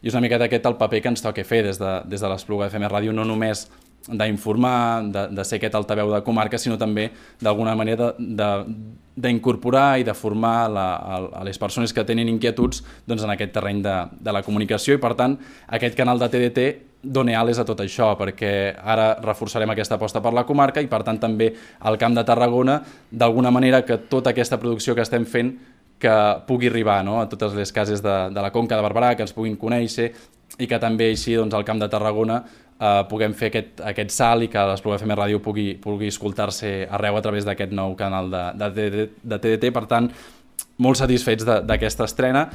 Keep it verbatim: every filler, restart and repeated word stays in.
I és una miqueta aquest el paper que ens toca fer des de, des de l'Espluga F M Ràdio, no només d'informar, de, de ser aquest altaveu de comarca, sinó també d'alguna manera d'incorporar i de formar la, a, a les persones que tenen inquietuds doncs, en aquest terreny de, de la comunicació, i per tant aquest canal de T D T dona ales a tot això, perquè ara reforçarem aquesta aposta per la comarca i per tant també al Camp de Tarragona, d'alguna manera que tota aquesta producció que estem fent que pugui arribar, no?, a totes les cases de, de la Conca de Barberà, que ens puguin conèixer i que també així doncs, al Camp de Tarragona eh, puguem fer aquest, aquest salt i que l'Espluga F M Ràdio pugui, pugui escoltar-se arreu a través d'aquest nou canal de, de, de, de T D T. Per tant, molt satisfets d'aquesta estrena